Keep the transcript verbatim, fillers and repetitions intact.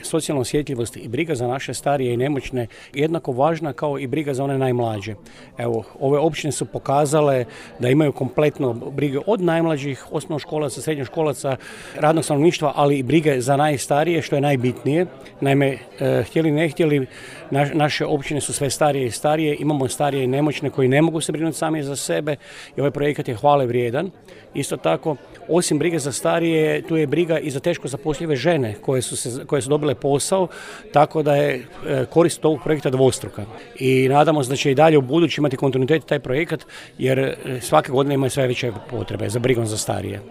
socijalna osjetljivost i briga za naše starije i nemoćne jednako važna kao i briga za one najmlađe. Evo, ove općine su pokazale da imaju kompletno brige od najmlađih, osnovnoškolaca, srednjoškolaca, radnog stanovništva, ali i brige za najstarije, što je najbitnije. Naime, e, htjeli ne htjeli, na, naše općine su sve starije i starije, imamo starije i nemoćne koji ne mogu se brinuti sami za sebe i ovaj projekat je hvale vrijedan. Isto tako, osim brige za starije, tu je briga i za teško zapošljive žene koje su, se, koje su dobile posao, tako da je e, korist ovog projekta dvostruka. I nadamo se da će i dalje u budući imati kontinuitet taj projekat, jer svake godine imaju sve veće potrebe za brigom za starije.